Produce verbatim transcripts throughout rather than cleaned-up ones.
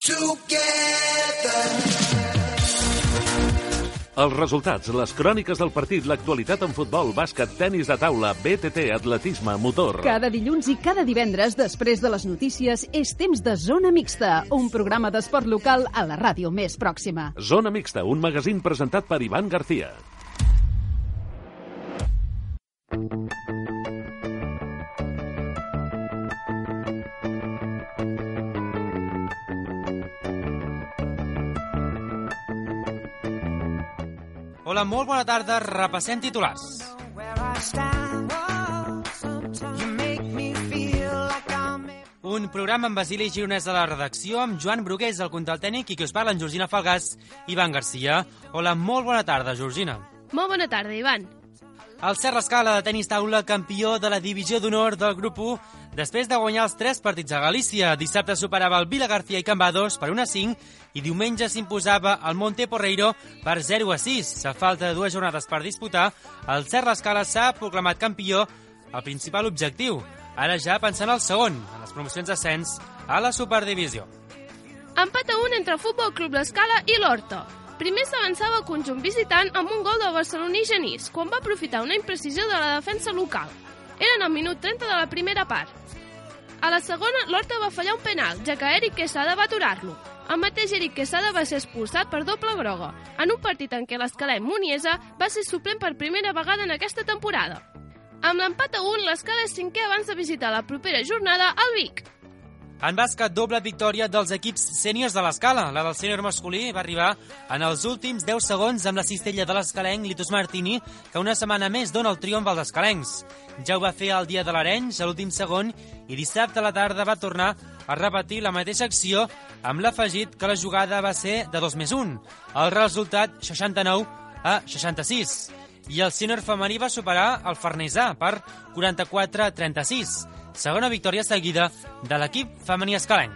Els resultats, les cròniques del partit, l'actualitat en futbol, bàsquet, tenis de taula, B T T, atletisme, motor. Cada dilluns i cada divendres, després de les notícies, és temps de Zona Mixta, un programa d'esport local a la ràdio més pròxima. Zona Mixta, un magazín presentat per Ivan García. Hola, molt bona tarda. Repassem titulars. Un programa amb Basili Gironès a la redacció, amb Joan Brugués al control tècnic i que us parla en Georgina Falgàs i Ivan García. Hola, molt bona tarda, Georgina. Molt bona tarda, Ivan. El Serra Escala de tenis taula, campió de la divisió d'honor del grup u, després de guanyar els tres partits a Galícia. Dissabte superava el Vila García i Cambados per un a cinc i diumenge s'imposava el Monte Porreiro per zero a sis. A falta de dues jornades per disputar, el Serra Escala s'ha proclamat campió, el principal objectiu. Ara ja pensant al segon, en les promocions d'ascens a la Superdivisió. Empat a un entre el Futbol Club L'Escala i l'Horta. Primer s'avançava el conjunt visitant amb un gol del barceloní Genís, quan va aprofitar una imprecisió de la defensa local. Eren al minut trenta de la primera part. A la segona, l'Horta va fallar un penal, ja que Eric Quesada va aturar-lo. El mateix Eric Quesada va ser expulsat per doble groga, en un partit en què l'Escalenc Muniesa va ser suplent per primera vegada en aquesta temporada. Amb l'empat a un, l'Escala és cinquè abans de visitar la propera jornada al Vic. En bàsquet, doble victòria dels equips sèniors de l'Escala. La del sènior masculí va arribar en els últims deu segons amb la cistella de l'escalenc Litus Martini, que una setmana més dona el triomf als escalencs. Ja ho va fer el dia de l'Arenys, a l'últim segon, i dissabte a la tarda va tornar a repetir la mateixa acció amb l'afegit que la jugada va ser de dos més un. El resultat, seixanta-nou a seixanta-sis. I el sènior femení va superar el Farnesà per quaranta-quatre a trenta-sis. Segona victòria seguida de l'equip femení escalenc.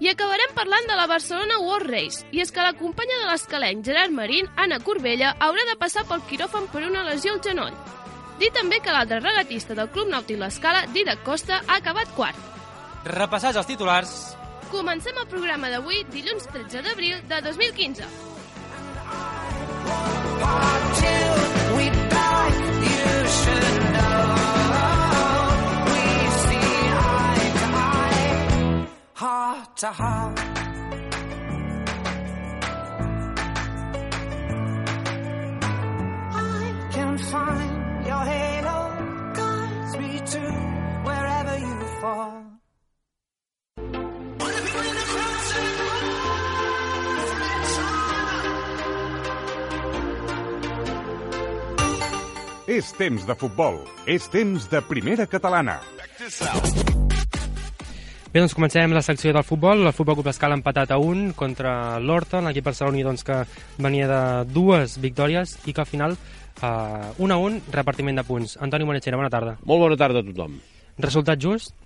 I acabarem parlant de la Barcelona World Race, i és que la companya de l'escalenc Gerard Marín, Anna Corbella, haurà de passar pel quiròfan per una lesió al genoll. Dir també que l'altre regatista del Club Nàutic L'Escala, Didac Costa, ha acabat quart. Repassats els titulars. Comencem el programa d'avui, dilluns tretze d'abril de dos mil quinze. Heart to heart, I can find your halo, guides me to wherever you fall. És temps de futbol, és temps de primera catalana. Bé, doncs comencem la secció del futbol. El Futbol Club L'Escala ha empatat a un contra l'Horta, l'equip barceloní doncs, que venia de dues victòries i que al final, uh, un a un, repartiment de punts. Antoni Monechera, bona tarda. Molt bona tarda a tothom. Resultat just?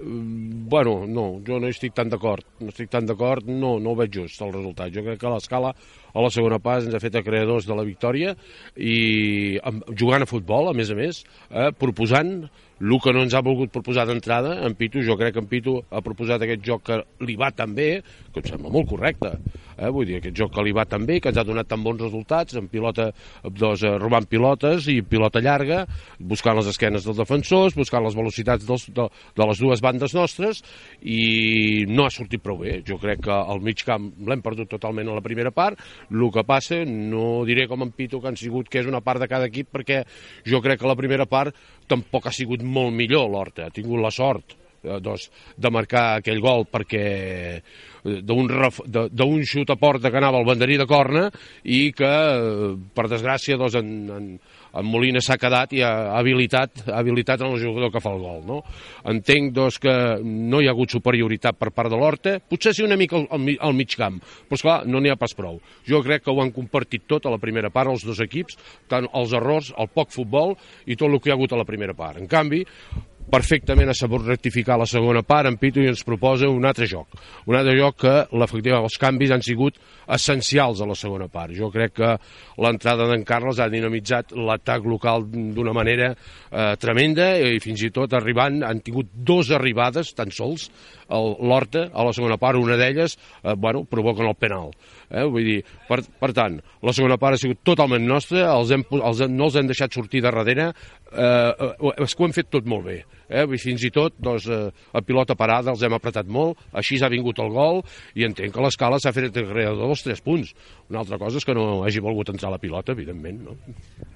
Uh, bueno, no, jo no estic tan d'acord. No estic tan d'acord, no, no ho veig just, el resultat. Jo crec que l'Escala, a la segona pas, ens ha fet acreedors de la victòria i jugant a futbol, a més a més, eh, proposant el que no ens ha volgut proposar d'entrada en Pitu. Jo crec que en Pitu ha proposat aquest joc que li va tan bé, que em sembla molt correcte, eh? Vull dir, aquest joc que li va tan bé, que ens ha donat tan bons resultats, en pilota, doncs, robant pilotes i pilota llarga, buscant les esquenes dels defensors, buscant les velocitats dels, de, de les dues bandes nostres, i no ha sortit prou bé. Jo crec que al mig camp l'hem perdut totalment a la primera part. El que passa, no diré com en Pitu que han sigut, que és una part de cada equip, perquè jo crec que la primera part tampoc ha sigut molt millor l'Horta. Ha tingut la sort eh, doncs, de marcar aquell gol perquè d'un xut a porta que anava al banderí de corna i que, per desgràcia, doncs, en, en, en Molina s'ha quedat i ha habilitat, ha habilitat en el jugador que fa el gol. No? Entenc doncs, que no hi ha hagut superioritat per part de l'Horta, potser sí una mica al, al, al mig camp, però esclar, no n'hi ha pas prou. Jo crec que ho han compartit tot a la primera part, els dos equips, tant els errors, el poc futbol i tot el que hi ha hagut a la primera part. En canvi, perfectament ha sabut rectificar la segona part en Pitu i ens proposa un altre joc. Un altre joc que, efectivament, els canvis han sigut essencials a la segona part. Jo crec que l'entrada d'en Carles ha dinamitzat l'atac local d'una manera eh, tremenda i fins i tot arribant, han tingut dues arribades tan sols l'Horta, a la segona part, una d'elles, eh, bueno, provoquen el penal. Eh? Vull dir, per, per tant, la segona part ha sigut totalment nostra, els hem, els hem, no els hem deixat sortir de darrere, eh, és que ho hem fet tot molt bé. Eh? Fins i tot, doncs, eh, a pilota parada els hem apretat molt, així ha vingut el gol, i entenc que l'Escala s'ha fet creador dels tres punts. Una altra cosa és que no hagi volgut entrar la pilota, evidentment. No?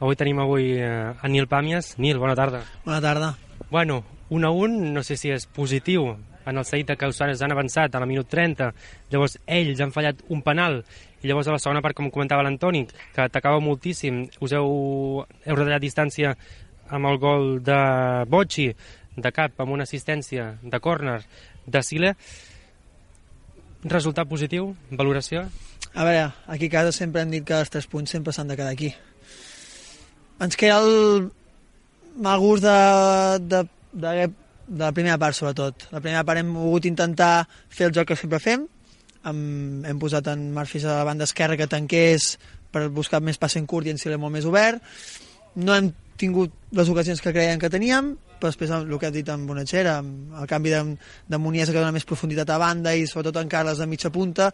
Avui tenim avui eh, a Nil Pàmies. Nil, bona tarda. Bona tarda. Bueno, un a un, no sé si és positiu. En el seguit de que els han avançat a la minut trenta, llavors ells han fallat un penal, i llavors a la segona part, com comentava l'Antoni, que atacava moltíssim, us heu, heu retallat distància amb el gol de Bocci, de cap, amb una assistència de córner de Sile. Resultat positiu? Valoració? A veure, aquí a casa sempre hem dit que els tres punts sempre s'han de quedar aquí. Ens queda el mal gust de, de, de, de la primera part, sobretot. La primera part hem volgut intentar fer el joc que sempre fem. Hem, hem posat en Marfis a la banda esquerra que tanqués per buscar més passe en curt i en Sile molt més obert. No hem tingut les ocasions que creiem que teníem, però després el que has dit amb Bonatxera, amb el canvi de, de Muniesa que dona més profunditat a banda i sobretot en Carles de mitja punta,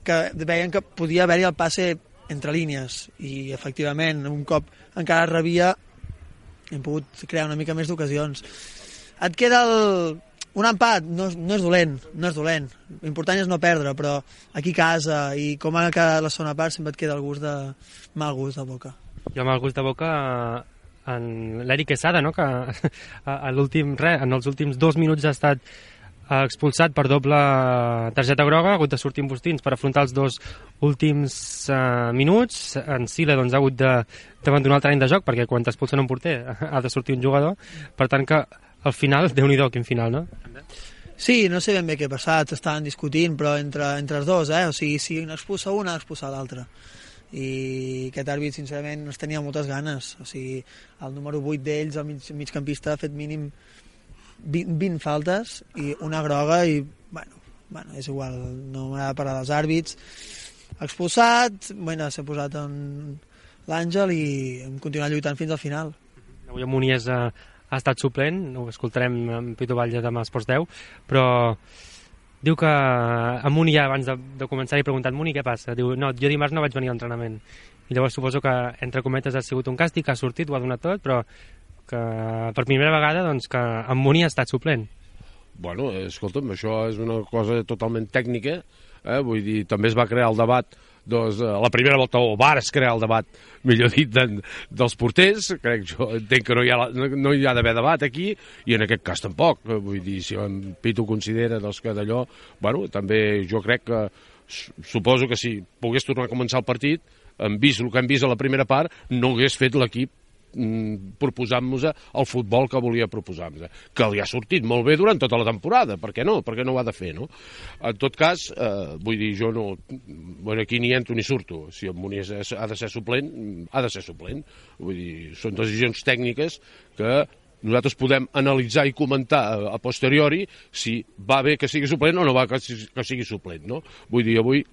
que veien que podia haver-hi el passe entre línies, i efectivament un cop encara rebia hem pogut crear una mica més d'ocasions. Et queda el... un empat, no, no és dolent, no és dolent. L'important és no perdre, però aquí a casa i com ha quedat la segona part sempre et queda el gust de... mal gust de boca. Jo amb el gust de boca en l'Eric Quesada, no? Que a l'últim res, en els últims dos minuts ha estat expulsat per doble targeta groga, ha hagut de sortir amb bustins per afrontar els dos últims uh, minuts. En Sile doncs, ha hagut d'abandonar el terreny de joc, perquè quan t'expulsen un porter ha de sortir un jugador, per tant que al final, Déu-n'hi-do, quin final, no? Sí, no sé ben bé què ha passat, estaven discutint, però entre, entre els dos, eh? O sigui, si n'expulsa un, ha d'expulsar l'altre. I aquest àrbit, sincerament, ens tenia moltes ganes. O sigui, el número vuit d'ells, el mig, migcampista, ha fet mínim vint, vint faltes i una groga i, bueno, bueno és igual, no m'agrada parlar dels àrbits. Expulsat, bueno, s'ha posat en l'Àngel i hem continuat lluitant fins al final. Avui a Muniesa ha estat suplent, ho escoltarem amb Pitu Batlle demà als Esports deu, però diu que a Muni ja abans de, de començar he preguntat, Muni, què passa? Diu, no, jo dimarts no vaig venir a l'entrenament. I llavors suposo que, entre cometes, ha sigut un càstig, ha sortit, ho ha donat tot, però que per primera vegada doncs, que en Muni ha estat suplent. Bueno, escolta'm, això és una cosa totalment tècnica, eh? Vull dir, també es va crear el debat, doncs, a la primera volta, o vares crear el debat, millor dit, de, dels porters. Crec, jo entenc que no hi ha, no hi ha d'haver debat aquí, i en aquest cas tampoc. Vull dir, si en Pitu considera doncs, que d'allò, bueno, també jo crec que, suposo que si pogués tornar a començar el partit, hem vist el que hem vist a la primera part, no hagués fet l'equip proposant-nos el futbol que volia proposar-nos, que li ha sortit molt bé durant tota la temporada, per què no? Per què no ho ha de fer, no? En tot cas, eh, vull dir, jo no... Bueno, aquí ni entro ni surto. Si el Munies ha de ser suplent, ha de ser suplent. Vull dir, són decisions tècniques que nosaltres podem analitzar i comentar a posteriori si va bé que sigui suplent o no va que sigui suplent, no? Vull dir, avui...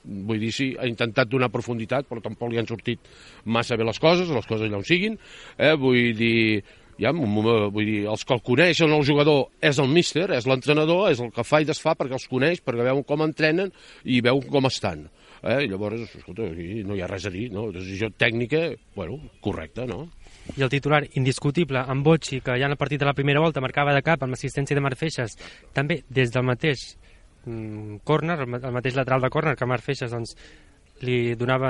Vull dir, sí, ha intentat donar profunditat, però tampoc li han sortit massa bé les coses, les coses allà on siguin. Eh? Vull dir, ja, vull dir, els que el coneixen el jugador és el míster, és l'entrenador, és el que fa i desfà perquè els coneix, perquè veu com entrenen i veu com estan. Eh? Llavors, escolta, aquí no hi ha res a dir, no? Decisió tècnica, bueno, correcta, no? I el titular indiscutible, amb Bocci, que ja en el partit de la primera volta marcava de cap amb l'assistència de Marc Feixes, també des del mateix córner, el mateix lateral de córner que Marc Feixes doncs, li donava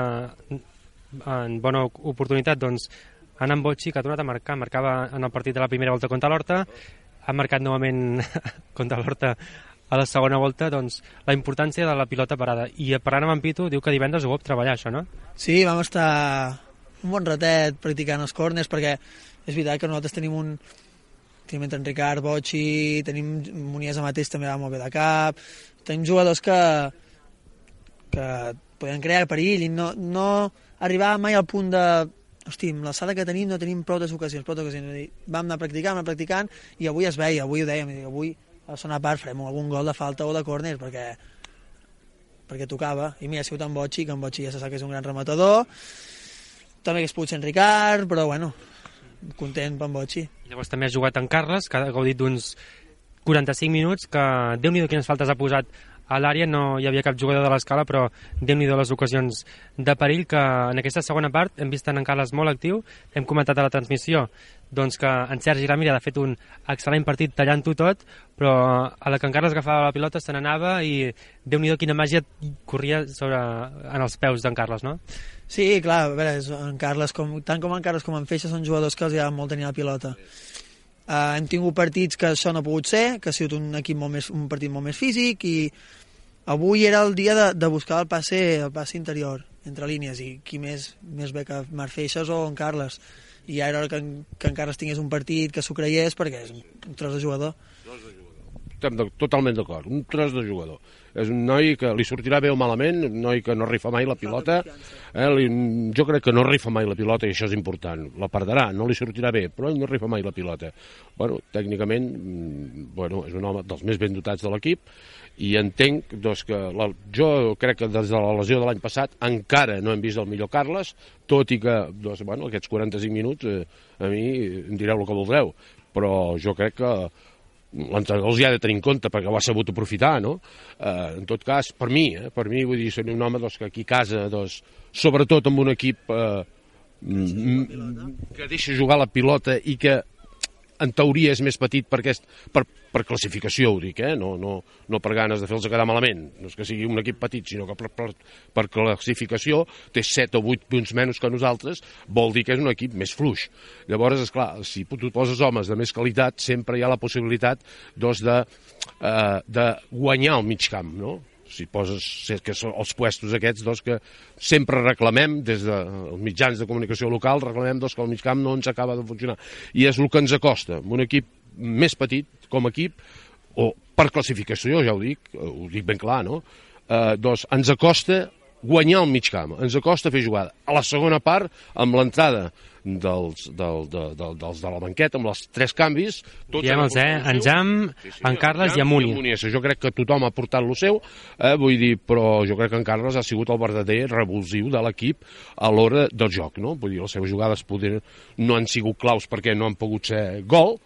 en bona oportunitat, doncs anar amb Bocci, que ha tornat a marcar, marcava en el partit de la primera volta contra l'Horta, ha marcat novament contra l'Horta a la segona volta, doncs la importància de la pilota parada. I parlant amb en Pitu, diu que divendres ho vol treballar, això, no? Sí, vam estar un bon ratet practicant els córners, perquè és veritat que nosaltres tenim un tenim entre en Ricard, Bocci, tenim Muniesa mateix també va molt bé de cap, tenim jugadors que que poden crear perill i no, no arribar mai al punt de hosti, amb l'alçada que tenim no tenim prou ocasions, prou ocasions. Vam anar practicant, anar practicant i avui es veia, avui ho dèiem, avui a la segona part farem algun gol de falta o de córner perquè perquè tocava, i mira, ha sigut en Bocci, que en Bocci ja se sap que és un gran rematador, també hagués pogut ser en Ricard, però bueno, content per en Bocci. Llavors també ha jugat en Carles, que ha gaudit d'uns quaranta-cinc minuts, que Déu-n'hi-do quines faltes ha posat a l'àrea, no hi havia cap jugador de l'Escala, però Déu-n'hi-do les ocasions de perill, que en aquesta segona part hem vist en Carles molt actiu, hem comentat a la transmissió doncs que en Sergi Ramírez ha fet un excel·lent partit tallant-ho tot, però a la que en Carles agafava la pilota se n'anava i Déu-n'hi-do quina màgia corria sobre, en els peus d'en Carles, no? Sí, clar, a veure, en Carles, com, tant com en Carles com en Feixa són jugadors que els agrada molt tenir la pilota. Uh, hem tingut partits que això no ha pogut ser, que ha sigut un equip molt més, un partit molt més físic, i avui era el dia de, de buscar el passe, el passe interior, entre línies, i qui més, més bé que Marc Feixes o en Carles. I ja era hora que en, que en Carles tingués un partit, que s'ho creiés, perquè és un, un tros de jugador. Tros de jugador. Estem de, totalment d'acord, un tros de jugador. És un noi que li sortirà bé o malament, un noi que no rifa mai la pilota. Eh, li, jo crec que no rifa mai la pilota i això és important. La perdrà, no li sortirà bé, però ell no rifa mai la pilota. Bueno, tècnicament, bueno, és un home dels més ben dotats de l'equip i entenc doncs, que la, jo crec que des de la lesió de l'any passat encara no hem vist el millor Carles, tot i que doncs, bueno, aquests quaranta-cinc minuts eh, a mi em direu el que voldreu, però jo crec que l'entrenador els hi ha de tenir en compte perquè ho ha sabut aprofitar, no? Eh, en tot cas, per mi, eh, per mi, vull dir, ser un home doncs, que aquí a casa, doncs, sobretot amb un equip eh, que deixa jugar la pilota i que en teoria és més petit per, aquest, per, per classificació, ho dic, eh? no, no, no per ganes de fer-los quedar malament, no és que sigui un equip petit, sinó que per, per, per classificació té set o vuit punts menys que nosaltres, vol dir que és un equip més fluix. Llavors, esclar, si tu poses homes de més qualitat, sempre hi ha la possibilitat doncs, de, eh, de guanyar el mig camp, no? Si poses que són els puestos aquests doncs, que sempre reclamem des dels mitjans de comunicació local, reclamem doncs, que el migcamp no ens acaba de funcionar. I és el que ens acosta, un equip més petit com a equip, o per classificació, ja ho dic, ho dic ben clar, no? Eh, doncs ens acosta guanyar el migcamp, ens acosta fer jugada. A la segona part, amb l'entrada dels, del, de, de, dels de la banqueta, amb els tres canvis... Diem-los, eh? En Jam, sí, sí, en Carles i en Muni. Jo crec que tothom ha portat lo seu, eh, vull dir, però jo crec que en Carles ha sigut el verdader revulsiu de l'equip a l'hora del joc, no? Vull dir, les seves jugades poder, no han sigut claus perquè no han pogut ser gol,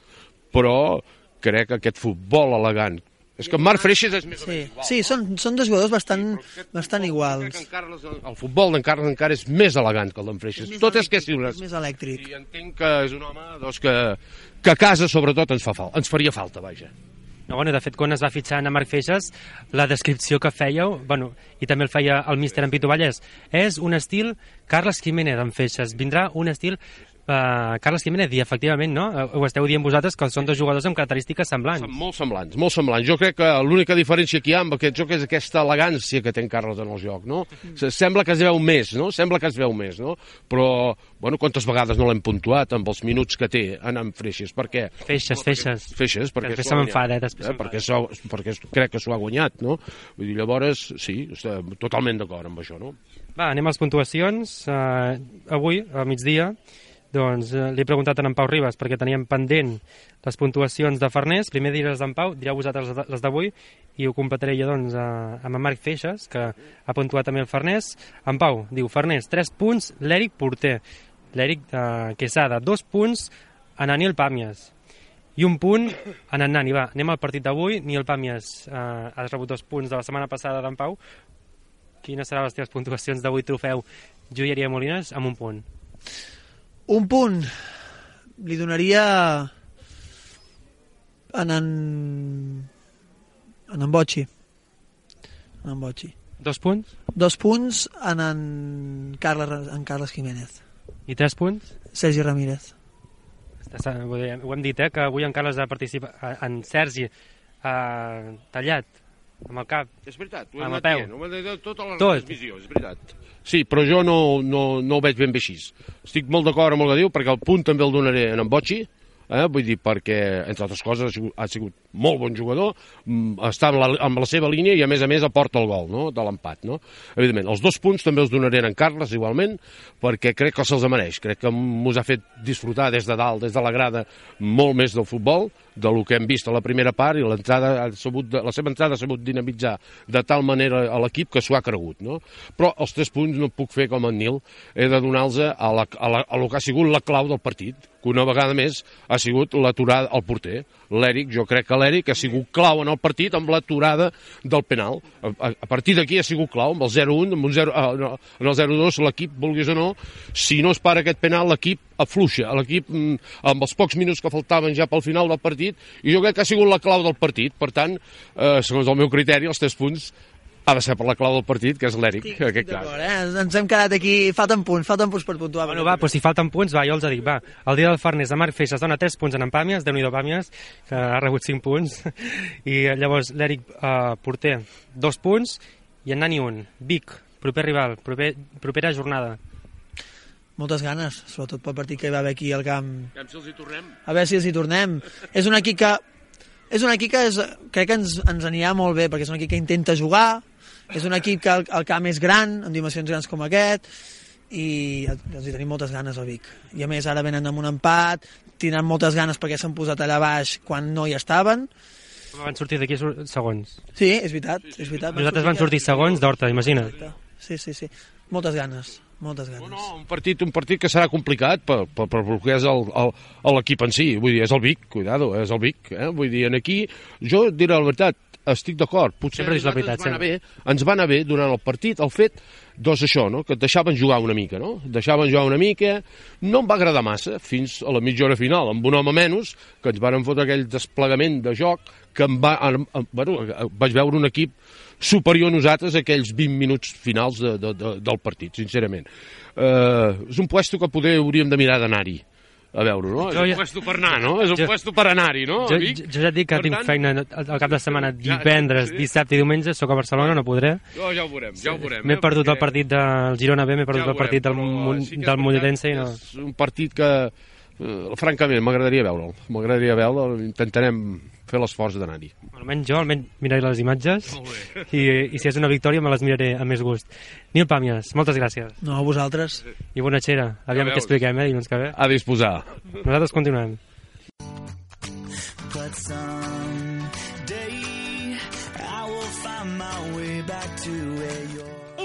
però crec que aquest futbol elegant. És que en Marc Freixes és més sí, sí, són, són dos jugadors bastant, sí, bastant iguals. Crec que en Carles, el futbol d'en Carles encara és més elegant que el d'en Freixes. És Tot és que és, és més elèctric. I entenc que és un home doncs, que, que a casa sobretot ens, fa fal, ens faria falta, vaja. No, bueno, de fet, quan es va fitxar a Marc Feixes, la descripció que fèieu, bueno, i també el feia el míster en Pitu Vallès, és un estil Carles Jiménez en Feixes. Vindrà un estil Uh, Carles Jiménez, i efectivament, no? Ho esteu dient vosaltres, que són dos jugadors amb característiques semblants. Són molt semblants, molt semblants. Jo crec que l'única diferència que hi ha amb aquest joc és aquesta elegància que té en Carles en el joc, no? Sembla que es veu més, no? Sembla que es veu més, no? Però, bueno, quantes vegades no l'hem puntuat amb els minuts que té anant Freixes? Per què? Feixes, Feixes. Feixes, perquè després se m'enfada, eh? Després eh? Perquè, so, perquè crec que s'ho ha guanyat, no? Vull dir, llavors, sí, estem totalment d'acord amb això, no? Va, anem a les puntuacions. Uh, avui, a migdia, doncs eh, li he preguntat a en Pau Ribas perquè teníem pendent les puntuacions de Farners. Primer diré les d'en Pau, direu vosaltres les d'avui i ho completaré jo doncs a, amb en Marc Feixes, que ha puntuat també el Farners. En Pau diu Farners, tres punts, l'Eric Porter. L'Eric eh, Quesada, dos punts en Aniel Pàmies. I un punt en en Nani. Va, anem al partit d'avui. Aniel Pàmies eh, ha rebut dos punts de la setmana passada d'en Pau. Quines seran les teves puntuacions d'avui, trofeu Joieria Molines, amb un punt? Un punt li donaria en en, en, en Bocci. En en Bocci. Dos punts? Dos punts en en Carles, en Carles Jiménez. I tres punts? Sergi Ramírez. Ho hem dit, eh, que avui en Carles ha participat, en Sergi ha tallat amb el cap, és veritat, ho amb hem el peu. Ho hem dit tota la Tot. transmissió, és veritat. Sí, però jo no, no, no ho veig ben bé així. Estic molt d'acord amb el que diu, perquè el punt també el donaré en en Bocci, eh? Vull dir, perquè, entre altres coses, ha sigut, ha sigut molt bon jugador, està amb la, amb la seva línia i, a més a més, aporta el gol, no?, de l'empat, no? Evidentment, els dos punts també els donaré en Carles, igualment, perquè crec que se'ls mereix. Crec que mos ha fet disfrutar des de dalt, des de la grada, molt més del futbol, de lo que hem vist a la primera part, i l'entrada ha sabut, la seva entrada ha sabut dinamitzar de tal manera a l'equip que s'ho ha cregut, no? Però els tres punts no puc fer com en Nil, he de donar-los a, la, a, la, a lo que ha sigut la clau del partit, que una vegada més ha sigut l'aturada al porter. L'Eric, jo crec que l'Eric ha sigut clau en el partit amb l'aturada del penal. A, a, a partir d'aquí ha sigut clau, amb el zero un, amb un zero, ah, no, en el zero dos, l'equip, vulguis o no, si no es para aquest penal, l'equip afluixa. L'equip, amb els pocs minuts que faltaven ja pel final del partit, i jo crec que ha sigut la clau del partit. Per tant, eh, segons el meu criteri, els tres punts ha de ser per la clau del partit, que és l'Eric, en aquest cas. Eh? Ens hem quedat aquí, falten punts, falten punts per puntuar. Bueno, va, doncs si falten punts, va, jo els dic, va. El dia del Farners de Marc Feixes dona tres punts en Pàmies, Déu-n'hi-do Pàmies, que ha rebut cinc punts, i llavors l'Eric, eh, porter, dos punts, i en Nani un. Vic, proper rival, proper, propera jornada. Moltes ganes, sobretot pel partit que hi va haver aquí al camp. A veure si els hi tornem. A veure si els hi tornem. És un equip que, és un equip que és, crec que ens, ens anirà molt bé, perquè és un equip que intenta jugar, és un equip que el, el camp és gran, amb dimensions grans com aquest, i els hi tenim moltes ganes al Vic. I a més ara venen amb un empat, tindran moltes ganes perquè s'han posat allà baix quan no hi estaven. Van sortir d'aquí segons. Sí, és veritat. És veritat. Nosaltres van sortir segons d'Horta, imagina't. Sí, sí, sí. Moltes ganes. Moltes ganes. No, no, un partit, un partit que serà complicat per, per, per el que és l'equip en si. Vull dir, és el Vic, cuidado, és el Vic. Eh? Vull dir, en aquí, jo diré la veritat, estic d'acord, potser sempre dius la veritat, ens, va bé, ens va anar bé durant el partit el fet, doncs això, no? Que et deixaven jugar una mica, no? Et deixaven jugar una mica, no em va agradar massa, fins a la mitja hora final, amb un home menys, que ens van fotre aquell desplegament de joc, que em va, bueno, vaig veure un equip superior a nosaltres aquells vint minuts finals de, de, de, del partit, sincerament. Eh, és un puesto que poder hauríem de mirar d'anar-hi a veure, no? És un ja... puesto per anar, no? És un jo... puesto per anar-hi, no? Jo, jo, jo ja et dic que per tinc tant... feina al cap de setmana, divendres, ja, sí. dissabte i diumenge, sóc a Barcelona, no podré. Jo, ja ho veurem, ja ho veurem. M'he eh, perdut perquè... el partit del Girona B, m'he perdut ja el partit del, sí del Mollerense i no... És un partit que, eh, francament, m'agradaria veure'l. M'agradaria veure'l, intentarem fer l'esforç d'anar-hi. Almenys jo, almenys miraré les imatges i, i si és una victòria me les miraré amb més gust. Nil Pàmies, moltes gràcies. No, a vosaltres. I bona xera. Aviam ja què expliquem, eh, dilluns que ve. A disposar. Nosaltres continuem.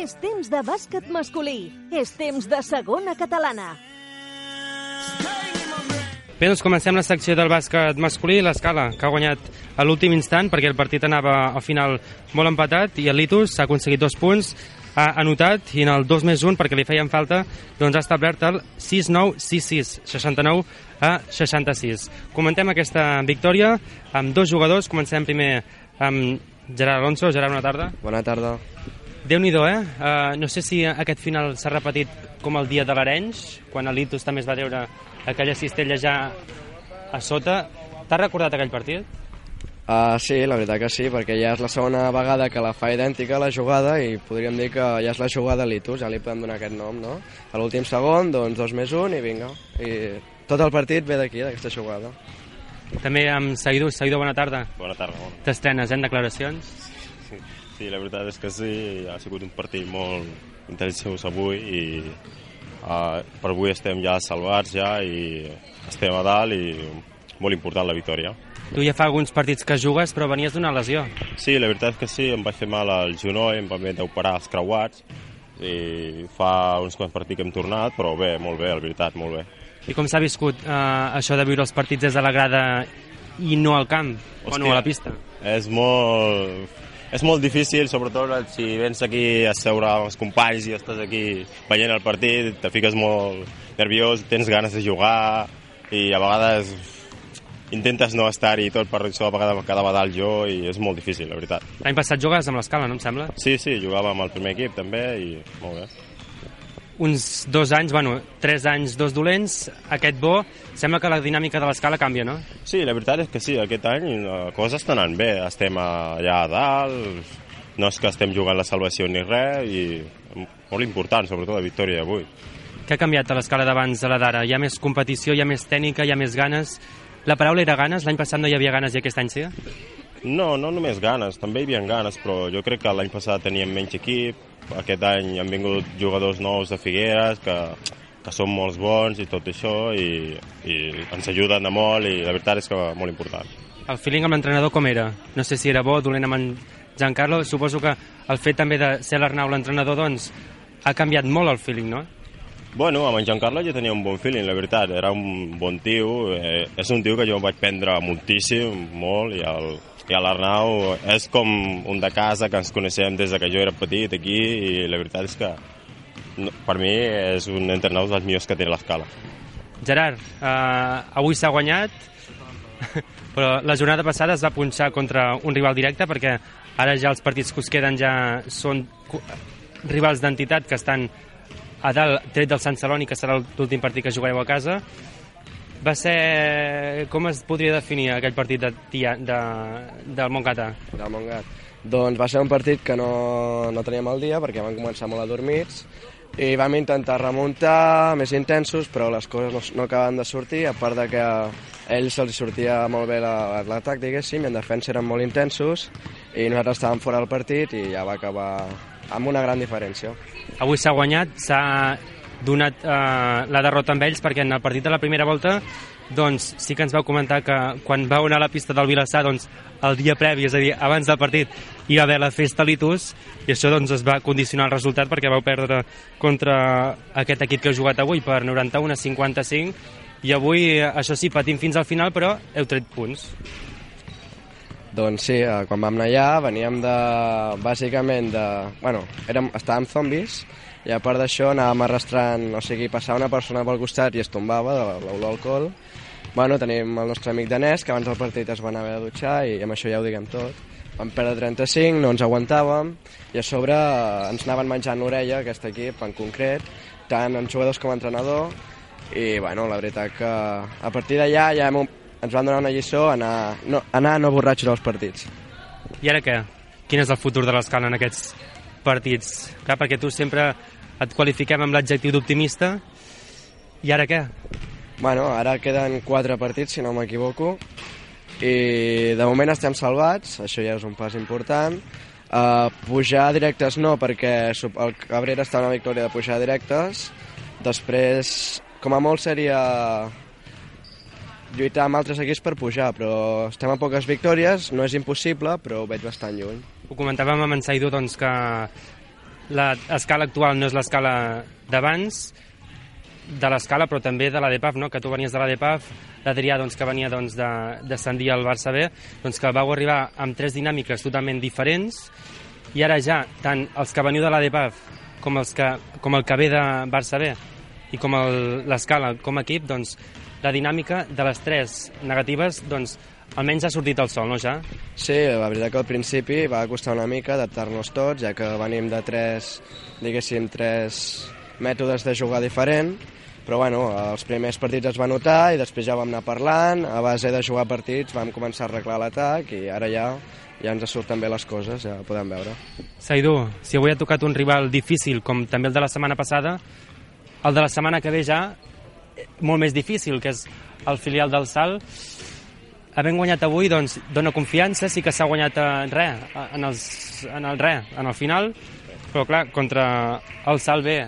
És temps de bàsquet masculí. És temps de segona catalana. Bé, doncs comencem la secció del bàsquet masculí, l'Escala, que ha guanyat a l'últim instant perquè el partit anava al final molt empatat i el Litus ha aconseguit dos punts, ha anotat i en el dos més un, perquè li feien falta, doncs ha establert el sis nou sis sis, seixanta-nou a seixanta-sis. Comentem aquesta victòria amb dos jugadors. Comencem primer amb Gerard Alonso. Gerard, bona tarda. Bona tarda. Déu-n'hi-do, eh? Uh, no sé si aquest final s'ha repetit com el dia de l'Arenys, quan el Litus també es va treure aquella cistella ja a sota. T'has recordat aquell partit? Uh, sí, la veritat que sí, perquè ja és la segona vegada que la fa idèntica la jugada i podríem dir que ja és la jugada Litus, ja li podem donar aquest nom, no? A l'últim segon, doncs dos més un i vinga. I tot el partit ve d'aquí, d'aquesta jugada. També amb Saïdou. Saïdou, bona tarda. Bona tarda. Bona. T'estrenes, eh, en declaracions? Sí, sí, la veritat és que sí, ha sigut un partit molt intensós avui i Uh, per avui estem ja salvats ja i estem a dalt i molt important la victòria. Tu ja fa alguns partits que jugues però venies d'una lesió. Sí, la veritat és que sí, em vaig fer mal al genoll, em van haver d'operar els creuats i fa uns quants partits que hem tornat, però bé, molt bé, la veritat, molt bé. I com s'ha viscut uh, això de viure els partits des de la grada i no al camp, Hòstia, o no a la pista? És molt... És molt difícil, sobretot si vens aquí a seure amb els companys i estàs aquí veient el partit, te fiques molt nerviós, tens ganes de jugar i a vegades intentes no estar-hi tot per això, a vegades quedava dalt jo i és molt difícil, la veritat. L'any passat jugaves amb l'Escala, no em sembla? Sí, sí, jugava amb el primer equip també i molt bé. Uns dos anys, bueno, tres anys, dos dolents, aquest bo, sembla que la dinàmica de l'Escala canvia, no? Sí, la veritat és que sí, aquest any les coses estan anant bé, estem allà a dalt, no és que estem jugant la salvació ni res, i molt important, sobretot la victòria d'avui. Què ha canviat a l'Escala d'abans a la d'ara? Hi ha més competició, hi ha més tècnica, hi ha més ganes? La paraula era ganes? L'any passat no hi havia ganes i aquest any sí? No, no només ganes, també hi havia ganes, però jo crec que l'any passat teníem menys equip, aquest any han vingut jugadors nous de Figueres que, que que són molts bons i tot això, i, i ens ajuden de molt, i la veritat és que molt important. El feeling amb l'entrenador com era? No sé si era bo, dolent amb en Giancarlo. Suposo que el fet també de ser l'Arnau l'entrenador, doncs, ha canviat molt el feeling, no? Bueno, amb en Giancarlo jo tenia un bon feeling, la veritat. Era un bon tio, eh, és un tio que jo em vaig prendre moltíssim, molt, i el, i l'Arnau és com un de casa, que ens coneixem des de que jo era petit aquí, i la veritat és que no, per mi és un entrenador dels millors que té l'Escala. Gerard, eh, avui s'ha guanyat, però la jornada passada es va punxar contra un rival directe, perquè ara ja els partits que us queden ja són rivals d'entitat que estan a dalt, tret del Sant Celoni, que serà l'últim partit que jugareu a casa. Va ser... Com es podria definir aquell partit de, tia, de, del Montgat? Del Montgat. Doncs va ser un partit que no, no teníem el dia, perquè vam començar molt adormits, i vam intentar remuntar més intensos, però les coses no, no acaben de sortir, a part de que a ells se'ls sortia molt bé l'atac, diguéssim, i en defensa eren molt intensos, i nosaltres estàvem fora del partit i ja va acabar amb una gran diferència. Avui s'ha guanyat, s'ha donat eh, la derrota amb ells, perquè en el partit de la primera volta doncs sí que ens vau comentar que quan vau anar a la pista del Vilassar, doncs el dia previ, és a dir, abans del partit, hi va haver la festa Litus, i això doncs es va condicionar el resultat, perquè vau perdre contra aquest equip que heu jugat avui per noranta-un a cinquanta-cinc, i avui, això sí, patim fins al final, però heu tret punts. Doncs sí, quan vam anar allà veníem de, bàsicament de... Bueno, érem, estàvem zombis, i a part d'això anàvem arrastrant, o sigui, passava una persona pel costat i es tombava de l'olor d'alcohol. Bueno, tenim el nostre amic danès, que abans del partit es va anar a haver de dutxar, i amb això ja ho diguem tot. Vam perdre trenta-cinc, no ens aguantàvem, i a sobre ens anaven menjant l'orella, aquest equip en concret, tant en jugadors com entrenador, i bueno, la veritat que a partir d'allà ja hem, ens van donar una lliçó a anar, no, anar no borratxos als partits. I ara què? Quin és el futur de l'Escala en aquests partits? Clar, perquè tu sempre et qualifiquem amb l'adjectiu d'optimista, i ara què? Bueno, ara queden quatre partits, si no m'equivoco, i de moment estem salvats, això ja és un pas important. Uh, pujar directes no, perquè el Cabrera està una victòria de pujar directes. Després, com a molt seria lluitar amb altres equips per pujar, però estem a poques victòries, no és impossible, però ho veig bastant lluny. Ho comentàvem amb en Saidu, doncs, que l'escala actual no és l'escala d'abans, de l'escala, però també de la D P A F, no? Que tu venies de la D P A F, l'Adrià, doncs, que venia doncs, de descendir al Barça B, doncs, que vau arribar amb tres dinàmiques totalment diferents, i ara ja, tant els que veniu de la D P A F com, els que, com el que ve de Barça B i com l'escala com a equip, doncs, la dinàmica de les tres negatives, doncs, almenys ha sortit el sol, no, ja? Sí, la veritat que al principi va costar una mica adaptar-nos tots, ja que venim de tres, diguéssim, tres mètodes de jugar diferent, però bueno, els primers partits es va notar i després ja vam anar parlant, a base de jugar partits vam començar a arreglar l'atac i ara ja ja ens surten bé les coses, ja ho podem veure. Saidu, si avui ha tocat un rival difícil com també el de la setmana passada, el de la setmana que ve ja molt més difícil, que és el filial del Salt. Havent guanyat avui, doncs, dona confiança, sí que s'ha guanyat en res, en, els, en el res, en el final, però clar, contra el Salt B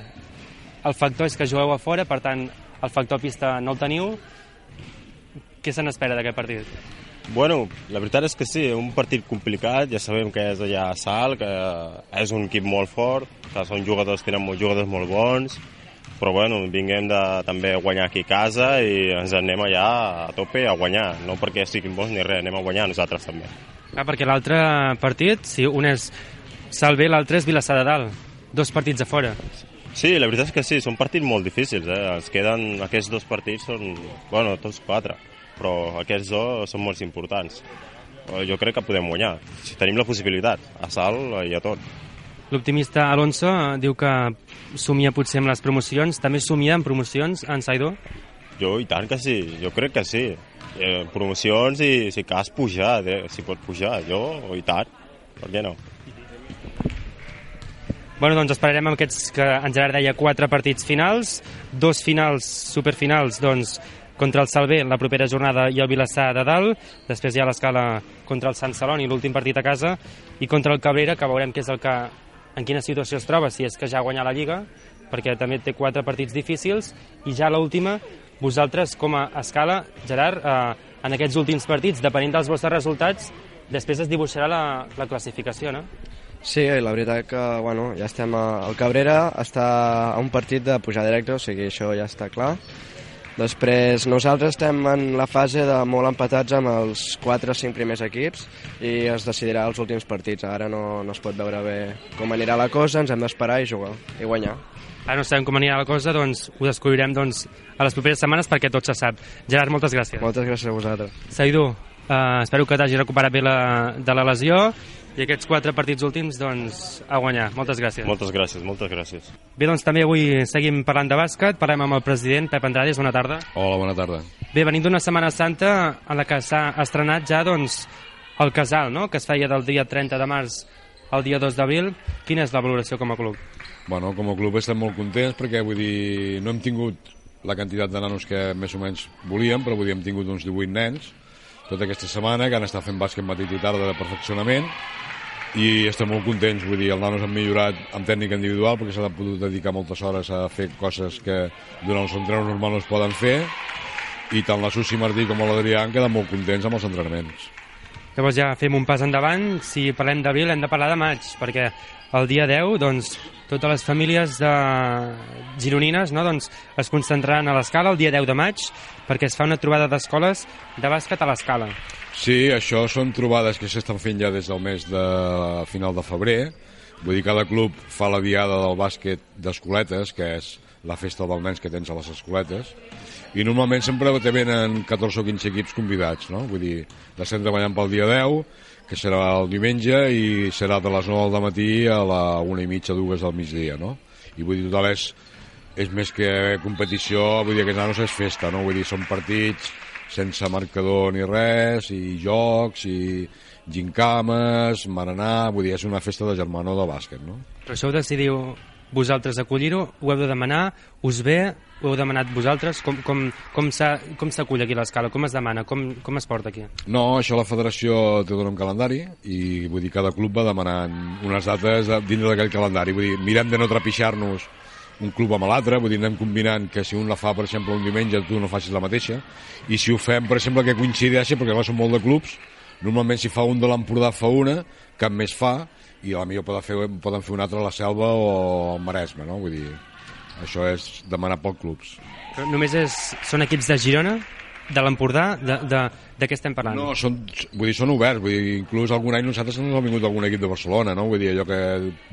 el factor és que jugueu a fora, per tant, el factor pista no el teniu. Què se n'espera d'aquest partit? Bueno, la veritat és que sí, un partit complicat, ja sabem que és allà a Salt, que és un equip molt fort, que són jugadors, tenen molts jugadors molt bons, però bueno, vinguem de també guanyar aquí a casa i ens anem allà a tope a guanyar, no perquè siguin bons ni res, anem a guanyar nosaltres també. Ah, perquè l'altre partit, si un és Salt B, l'altre és Vilassar de Dalt, dos partits a fora. Sí, la veritat és que sí, són partits molt difícils, eh? Ens queden, aquests dos partits són, bueno, tots quatre, però aquests dos són molt importants. Jo crec que podem guanyar, si tenim la possibilitat, a Salt i a tot. L'optimista Alonso diu que somia potser amb les promocions, també somia amb promocions en Saidu? Jo i tant que sí, jo crec que sí. Eh, promocions i si cas pujar, eh? Si pot pujar, jo i tant, per què no? Bueno, doncs esperarem amb aquests que en Gerard deia quatre partits finals, dos finals, superfinals, doncs, contra el Salt B, la propera jornada, i el Vilassar de Dalt, després hi ha l'Escala contra el Sant Celoni, l'últim partit a casa, i contra el Cabrera, que veurem què és el que, en quina situació es troba, si és que ja ha guanyat la Lliga, perquè també té quatre partits difícils, i ja l'última, vosaltres com a escala, Gerard, eh, en aquests últims partits, depenent dels vostres resultats, després es dibuixarà la, la classificació, no? Sí, la veritat que bueno, ja estem a... El Cabrera està a un partit de pujar directe, o sigui, això ja està clar. Després nosaltres estem en la fase de molt empatats amb els quatre o cinc primers equips i es decidirà els últims partits. Ara no, no es pot veure bé com anirà la cosa, ens hem d'esperar i jugar i guanyar. Ara no sabem com anirà la cosa, doncs ho descobrirem doncs, a les properes setmanes perquè tot se sap. Gerard, moltes gràcies. Moltes gràcies a vosaltres. Saïdou, uh, espero que t'hagi recuperat bé la, de la lesió i aquests quatre partits últims, doncs, a guanyar. Moltes gràcies. Moltes gràcies, moltes gràcies. Bé, doncs també avui seguim parlant de bàsquet, parlem amb el president Pep Andrades, bona tarda. Hola, bona tarda. Bé, venim d'una Setmana Santa en la que s'ha estrenat ja, doncs, el casal, no?, que es feia del dia trenta de març al dia dos d'abril. Quina és la valoració com a club? Bueno, com a club estem molt contents perquè, vull dir, no hem tingut la quantitat de nanos que més o menys volíem, però vull dir, hem tingut uns divuit nens tota aquesta setmana que han estat fent bàsquet matí i tarda de perfeccionament i estem molt contents, vull dir, els nanos han millorat en tècnica individual perquè s'ha pogut dedicar moltes hores a fer coses que durant els entrenos normals no es poden fer i tant la Susi Martí com l'Adrià han quedat molt contents amb els entrenaments. Llavors ja fem un pas endavant, si parlem d'abril hem de parlar de maig, perquè el dia deu, doncs, totes les famílies de gironines, no, doncs, es concentraran a l'Escala el dia deu de maig perquè es fa una trobada d'escoles de bàsquet a l'Escala. Sí, això són trobades que s'estan fent ja des del mes de final de febrer. Vull dir, cada club fa la diada del bàsquet d'escoletes, que és la festa dels nens que tens a les escoletes, i normalment sempre te venen catorze o quinze equips convidats, no? Vull dir, l'estem treballant pel dia deu, que serà el diumenge, i serà de les nou del matí a la una i mitja, dues del migdia, no? I vull dir, total és, és més que competició, vull dir, aquests nanos és festa, no? Vull dir, són partits sense marcador ni res, i jocs, i gincames, marenar, vull dir, és una festa de germanor de bàsquet, no? Però això ho decidiu vosaltres acollir-ho, ho heu de demanar, us ve, ho heu demanat vosaltres, com, com, com s'acull aquí l'Escala, com es demana, com, com es porta aquí? No, això la federació té un calendari i vull dir, cada club va demanant unes dates dins d'aquell calendari, vull dir, mirem de no trepitjar-nos un club amb l'altre, vull dir, anem combinant que si un la fa, per exemple, un diumenge, tu no facis la mateixa, i si ho fem, per exemple, que coincideixi, perquè clar, són molt de clubs, normalment si fa un de l'Empordà fa una, cap més fa, i a la millor poden fer, poden fer una altra a la Selva o al Maresme, no? Vull dir, això és demanar pocs clubs. Però només és, són equips de Girona, de l'Empordà, de, de, de què estem parlant? No, són, vull dir, són oberts, vull dir, inclús algun any nosaltres ens ha vingut algun equip de Barcelona, no? Vull dir, allò que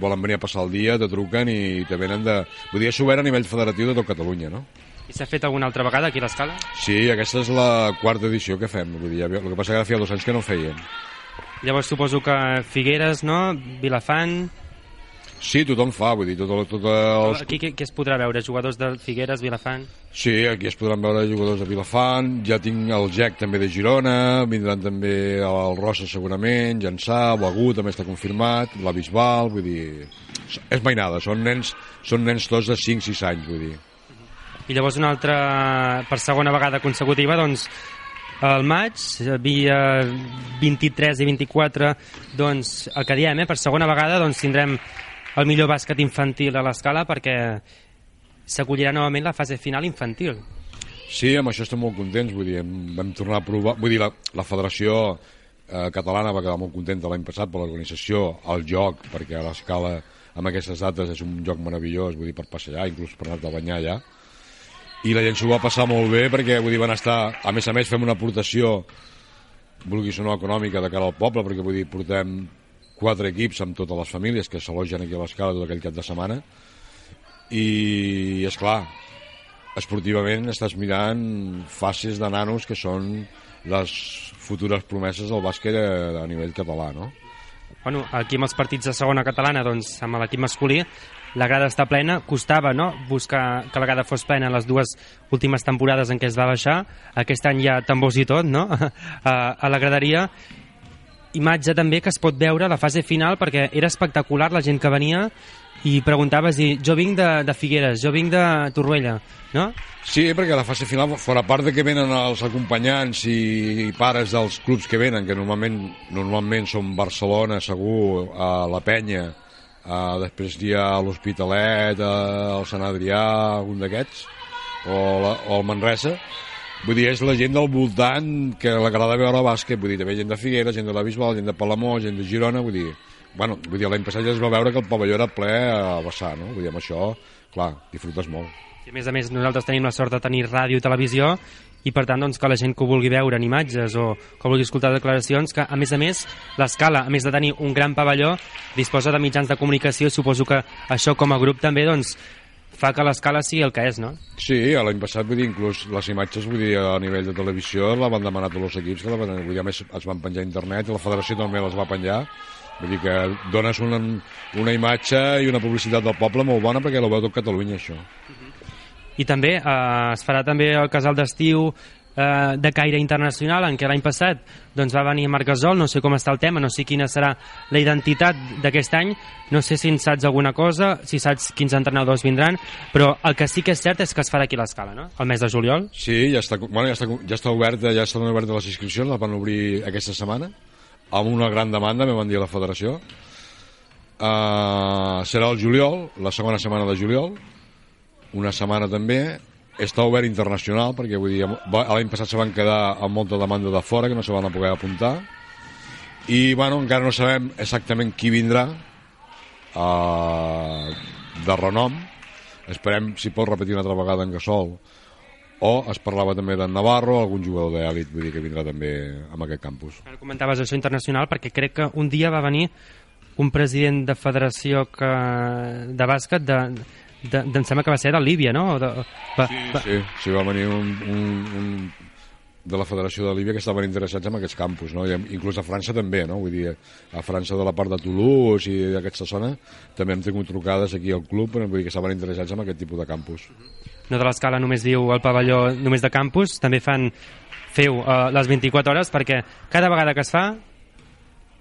volen venir a passar el dia, te truquen i te venen de... Vull dir, és obert a nivell federatiu de tot Catalunya, no? I s'ha fet alguna altra vegada aquí a l'Escala? Sí, aquesta és la quarta edició que fem, vull dir, el que passa que feia dos anys que no feien. Llavors suposo que Figueres, no? Vilafant... Sí, tothom fa, vull dir, tot, tot els... Aquí què, què es podrà veure? Jugadors de Figueres, Vilafant? Sí, aquí es podran veure jugadors de Vilafant, ja tinc el G E C també de Girona, vindran també el Rossa segurament, Llançà, Begur també està confirmat, la Bisbal, vull dir... És mainada, són nens, són nens tots de cinc sis anys, vull dir. I llavors una altra, per segona vegada consecutiva, doncs, al maig, via vint-i-tres i vint-i-quatre, doncs, el que diem, eh, per segona vegada, doncs, tindrem el millor bàsquet infantil a l'Escala perquè s'acollirà novament la fase final infantil. Sí, amb això estem molt contents, vull dir, vam tornar a provar, vull dir, la, la Federació eh, Catalana va quedar molt contenta l'any passat per l'organització, el joc, perquè a l'Escala amb aquestes dates és un joc meravellós, vull dir, per passejar, inclús per anar a banyar allà, i la gent s'ho va passar molt bé perquè, vull dir, van estar, a més a més fem una aportació, vulguis o no, econòmica de cara al poble, perquè, vull dir, portem quatre equips amb totes les famílies que s'alogen aquí a l'Escala tot aquell cap de setmana, i, és clar, esportivament estàs mirant fases de nanos que són les futures promeses del bàsquet a, a nivell català, no? Bueno, aquí amb els partits de segona catalana, doncs, amb l'equip masculí, la grada està plena, costava, no?, buscar que la grada fos plena en les dues últimes temporades en què es va baixar, aquest any hi ha tambors i tot, no?, a, a la graderia. Imatge també que es pot veure a la fase final perquè era espectacular la gent que venia i preguntaves, i jo vinc de, de Figueres, jo vinc de Torroella, no? Sí, perquè a la fase final, fora part de que venen els acompanyants i pares dels clubs que venen, que normalment normalment són Barcelona, segur, a la Penya, Uh, després hi ha l'Hospitalet, uh, el Sant Adrià, algun d'aquests, o, la, o el Manresa. Vull dir, és la gent del voltant que l'agrada veure bàsquet, vull dir, també gent de Figueres, gent de la Bisbal, gent de Palamós, gent de Girona, vull dir, bueno, vull dir, l'any passat ja es va veure que el pavelló era ple a vessar, no? Vull dir, amb això, clar, disfrutes molt. I a més a més, nosaltres tenim la sort de tenir ràdio i televisió, i per tant, doncs, que la gent que ho vulgui veure en imatges o que vulgui escoltar declaracions, que a més a més, l'Escala, a més de tenir un gran pavelló, disposa de mitjans de comunicació, i suposo que això com a grup també, doncs, fa que l'Escala sigui el que és, no? Sí, l'any passat, vull dir, inclús les imatges, vull dir, a nivell de televisió, la van demanar tots els equips, que la van, vull dir, a més es van penjar a internet, i la federació també les va penjar, vull dir que dones una, una imatge i una publicitat del poble molt bona perquè la veu tot Catalunya, això. I també eh, es farà també el casal d'estiu eh, de caire internacional, en què l'any passat doncs, va venir Marc Gasol, no sé com està el tema, no sé quina serà la identitat d'aquest any, no sé si en saps alguna cosa, si saps quins entrenadors vindran, però el que sí que és cert és que es farà aquí a l'Escala, no? El mes de juliol. Sí, ja està, bueno, ja està, ja està oberta, ja estan obertes les inscripcions, les van obrir aquesta setmana, amb una gran demanda, me van dir a la federació. Uh, serà el juliol, la segona setmana de juliol, una setmana també. Està obert internacional, perquè vull dir, l'any passat se van quedar amb molta demanda de fora, que no se van a poder apuntar, i bueno, encara no sabem exactament qui vindrà uh, de renom. Esperem si pot repetir una altra vegada en Gasol, o es parlava també d'en Navarro, algun jugador d'èlit, vull dir que vindrà també en aquest campus. Ara comentaves això internacional, perquè crec que un dia va venir un president de federació que, de bàsquet de, de, de, em sembla que va ser de Líbia, no? De, va, sí, va... sí, sí, va venir un, un, un de la federació de Líbia que estaven interessats en aquests campus, no? I inclús a França també, no? Vull dir, a França de la part de Toulouse i d'aquesta zona també hem tingut trucades aquí al club, però vull dir que estaven interessats en aquest tipus de campus. No de l'Escala només diu el pavelló només de campus, també fan feu uh, les vint-i-quatre hores, perquè cada vegada que es fa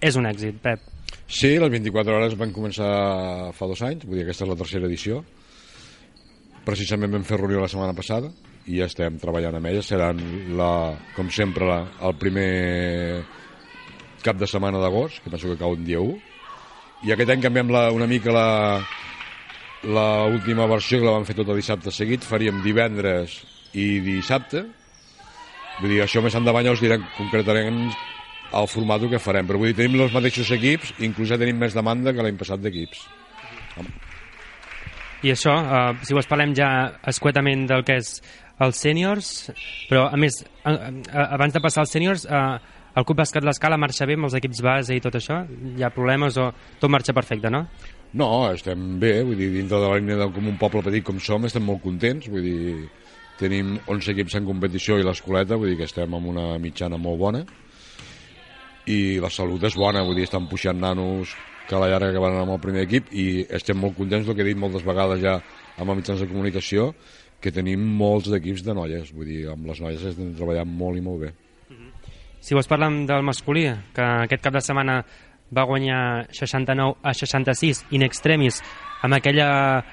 és un èxit, Pep. Sí, les vint-i-quatre hores van començar fa dos anys, vull dir, aquesta és la tercera edició. Precisament vam fer reunió la setmana passada i ja estem treballant amb ella. Seran, la, com sempre, la, el primer cap de setmana d'agost, que penso que cau un dia u. I aquest any canviem la, una mica la, la última versió, que la vam fer tot el dissabte seguit. Faríem divendres i dissabte. Vull dir, això més endavant ja us direm concretament el format que farem, però vull dir, tenim els mateixos equips, inclús ja tenim més demanda que l'any passat d'equips. I això, eh, si vos parlem ja escuetament del que és els sèniors, però a més, a, a, abans de passar als sèniors, eh, el Club Bàsquet l'Escala marxa bé amb els equips base i tot això? Hi ha problemes o tot marxa perfecte, no? No, estem bé, vull dir, dintre de la línia de com un poble petit com som, estem molt contents, vull dir, tenim onze equips en competició i l'escoleta, vull dir que estem amb una mitjana molt bona, i la salut és bona, vull dir, estan puixant nanos que a la llarga que van amb el primer equip i estem molt contents, el que he dit moltes vegades ja amb els mitjans de comunicació, que tenim molts d'equips de noies, vull dir, amb les noies estem treballant molt i molt bé. Si vols parlem del masculí, que aquest cap de setmana va guanyar seixanta-nou a seixanta-sis in extremis amb aquella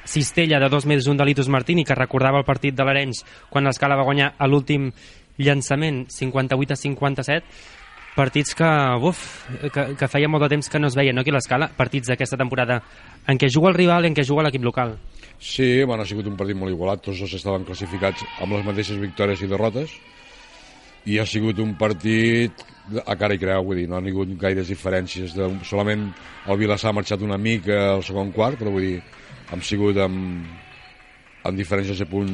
cistella de dos més un de Litus Martini que recordava el partit de l'Arenys quan l'Escala va guanyar a l'últim llançament cinquanta-vuit a cinquanta-set. Partits que, uf, que, que feia molt de temps que no es veien, no, aquí a l'Escala, partits d'aquesta temporada en què juga el rival i en què juga l'equip local. Sí, bueno, ha sigut un partit molt igualat, tots dos estaven classificats amb les mateixes victòries i derrotes, i ha sigut un partit a cara i creu, vull dir, no ha hagut gaires diferències, de, solament el Vilassar ha marxat una mica al segon quart, però vull dir, hem sigut amb, amb diferències de punt,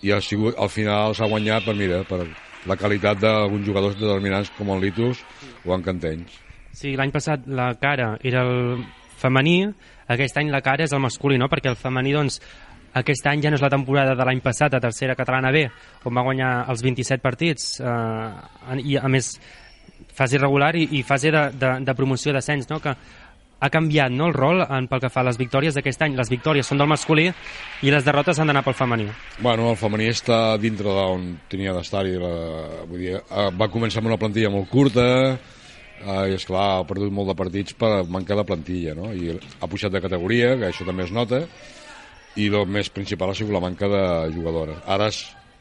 i ha sigut, al final s'ha guanyat per, mira, per la qualitat d'alguns jugadors determinants com el Litus o en Cantenys. Sí, l'any passat la cara era el femení, aquest any la cara és el masculí, no? Perquè el femení, doncs, aquest any ja no és la temporada de l'any passat a tercera catalana B, on va guanyar els vint-i-set partits, eh, i a més fase regular i, i fase de, de, de promoció d'ascens, no? Que ha canviat, no, el rol en, pel que fa a les victòries d'aquest any. Les victòries són del masculí i les derrotes han d'anar pel femení. Bueno, el femení està dintre d'on tenia d'estar-hi. Vull dir, va començar amb una plantilla molt curta, eh, i esclar, ha perdut molt de partits per mancar de plantilla, no? I ha pujat de categoria, que això també es nota, i el més principal ha sigut la manca de jugadores. Ara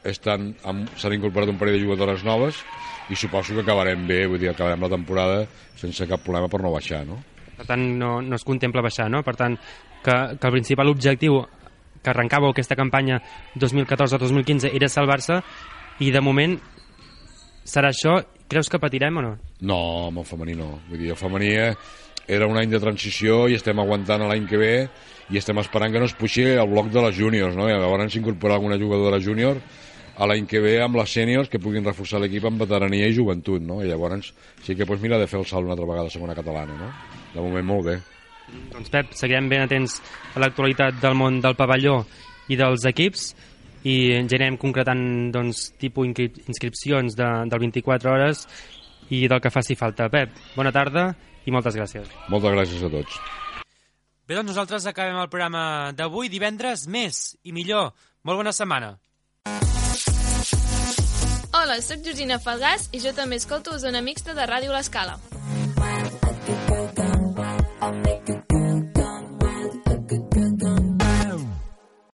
estan amb, s'han incorporat un parell de jugadores noves i suposo que acabarem bé, vull dir, acabarem la temporada sense cap problema per no baixar, no? Per tant, no, no es contempla baixar, no? Per tant, que, que el principal objectiu que arrencava aquesta campanya dos mil catorze dos mil quinze era salvar-se, i de moment serà això. Creus que patirem o no? No, amb el femení no. Vull dir, el femení era un any de transició i estem aguantant l'any que ve i estem esperant que no es puixi el bloc de les júniors, no? I llavors s'incorporarà alguna jugadora júnior a l'any que ve amb les sèniors que puguin reforçar l'equip amb veterania i joventut, no? I llavors sí que pues, mira de fer el salt una altra vegada a segona catalana, no? De moment molt bé. Doncs Pep, seguirem ben atents a l'actualitat del món del pavelló i dels equips, i ens anirem concretant doncs, tipus inscripcions de, del vint-i-quatre hores i del que faci falta. Pep, bona tarda i moltes gràcies. Moltes gràcies a tots. Bé, doncs nosaltres acabem el programa d'avui. Divendres, més i millor. Molt bona setmana. Hola, sóc Georgina Falgàs i jo també escolto Zona Mixta de Ràdio L'Escala.